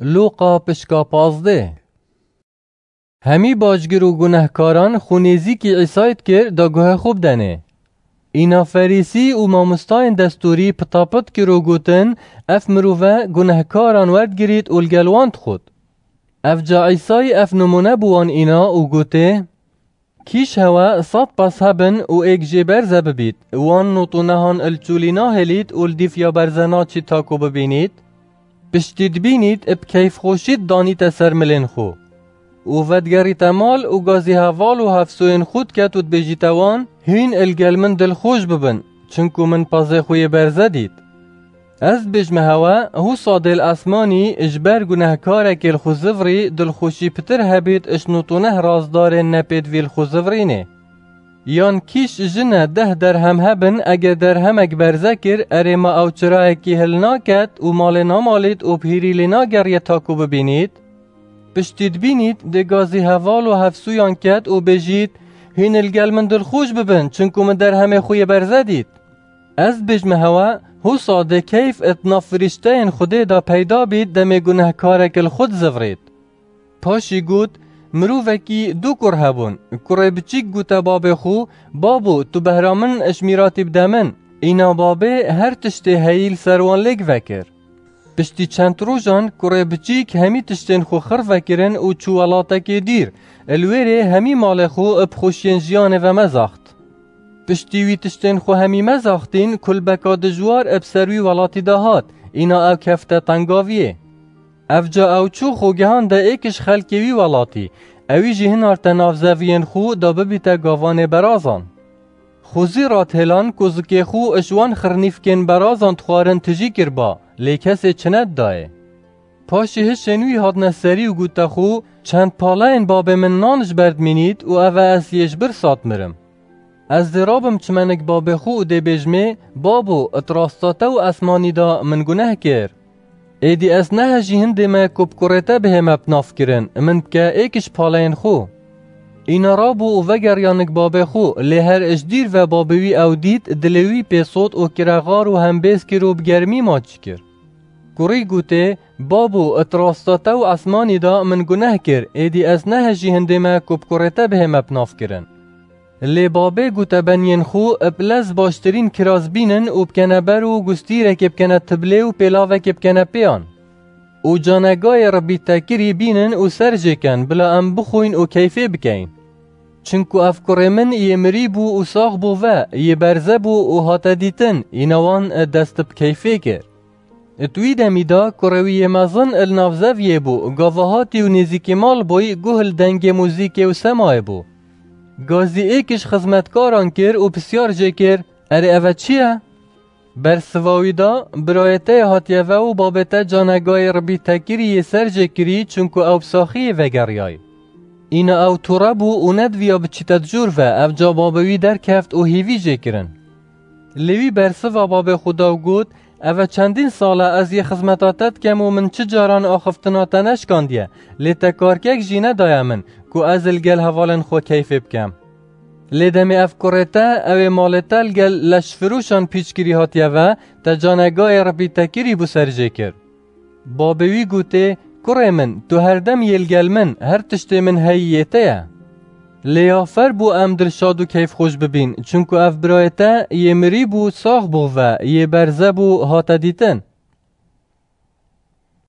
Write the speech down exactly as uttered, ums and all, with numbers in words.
Lûqa pişka pazdeh. Hemî bacgir û gunehkaran xwe nêzîkî Îsayî dikir da guhê xwe bidenê. Îna Ferîsî û mamostayên destûrî pitapit kir û gotin, ev mirove gunehkaran werdigirît û li gel wan dixwit. Evca Îsayî ev nimûne bi wan îna û gotê, Kîş hewe sed pez hebin û êk jê berze bibît, wan nû û nehan il çûlî nahêlît û li dîf ya berze naçît ta ku bibînît? Piştî dibînît, bi keyfxweşî didanîte ser milên xwe. Û vedigerîte mal û gazî heval û hevsoyên xwe diket û dibêjîte wan, hîn il gel min dilxweş bibin, çinku min pezê xwe yê berze dît. Ez dibêjme hewe, hûsa dê li esmanî ji ber gunehkarekê li xwe zivirî dilxweşî pitir hebît ji nû û neh razdarên nepêdivî li xwe zivirînê. Yan kîş jine deh derhem hebin, eger derhemek berze kir, erê ma ew çirayekî hilnaket û malê namalît û bi hîrî lê nageriye ta ku bibînît? Piştî dibînît, dê gazî heval û hevsûyan ket û bêjît, hîn il gel min dilxweş bibin, çinku min derhemê xwe yê berze dît. Ez dibêjme hewe, hûsa dê keyf di nav firîşteyên Xwedê de peyda bît demê gunehkarek li xwe dizivirît. Paşî got, mirovekî du kur hebûn. Kurê biçîk gote babê xwe, babo, tu behra min ji mîratî bide min. Îna babê her tiştê heyî li ser wan lêk vekir. Piştî çend rojan kurê biçîk hemî tiştên xwe xir vekirin û çû welatekê dîr. Li wêrê hemî malê xwe bi xweşiyên jiyanê ve mezaxt. Piştî wî tiştên xwe hemî mezaxtîn, kulbeka dijwar bi ser wî welatî de hat, îna ew kefte tengaviyê. Evca ew çû xwe gihande êk ji xelkê wî welatî, ewî jî hinarte nav zeviyên xwe da bibîte gavanê berazan. Xwezî radhêlan ku zikê xwe ji wan xirnîfkên berazan dixwarin tijî kirba, lê kesê çi nedidayê. Paşî hişên wî hatine serî û gote xwe, çend paleyên babê min nan ji ber dimînît û ev e ez yê ji birsa dimirim. Ez dê rabim çimenik babê xwe û dê bêjmê, babo, di rasta te û esmanî de min guneh kir. Êdî ez nehejî hindê me ku bi kurê te bihême bi nav kirin, min bike êk ji paleyên xwe. Îna rabû û vegeriyanik babê xwe, lê her ji dîr ve babê wî ew dît, dilê wî pê sot û kirexar û hembêz kir û bi germî maçî kir. Kurî gotê, babo, di rasta te û esmanî de min guneh kir, êdî ez nehejî hindê me ku bi kurê te bihême bi nav kirin. Lê babê gote beniyên xwe, bi lez baştirîn kiraz bînin û bikene ber û gustîrekê bikene tiblê û pêlavekê bikene pêyan. Û canegayê ribîtekirî bînin û ser jê ken, bila em bixwin û keyfê bikeyin. Çinku ev kurê min yê mirî bû û sax bû ve, yê berze bû û hate dîtin, îna wan dest bi keyfê kir. Di wî demî de kurê wî yê mezin li nav zeviyê bû, gava hatî û nêzîkî mal bûy, guh li dengê muzîkê û semayê bû. Gazî êk ji xizmetkaran kir û pisyar jê kir, Erê, ev e çi ye? Bersiva wî da, birayê te yê hatiye ve û babê te canegayê ribîtekirî yê ser jê kirî, çunku ew bi saxiyê vegeriyayî. Îna ew tûre bû û nediviya biçîte di jûr ve, evca babê wî derkeft û hîvî jê kirin. Lê wî bersiva babê xwe da û got, Ev e çendîn sal e ez yê xizmeta te dikem û min çi caran axiftina te neşkandiye, lê te karkek jî nedaye min, ku ez li gel hevalên xwe keyfê bikem. Lê demê ev kurê te, ew ê malê te li gel leşfirûşan pîçkirî hatiye ve, te canegayê ribîtekirî bû ser jê kir. Babê wî gotê, Kurê min, tu herdem yê li gel min, her tiştê min heyî yê te ye. Lê ya fer bû em dilşad û keyfxweş bibîn, çunku ev birayê te yê mirî bû, sax bû ve, yê berze bû, hate dîtin.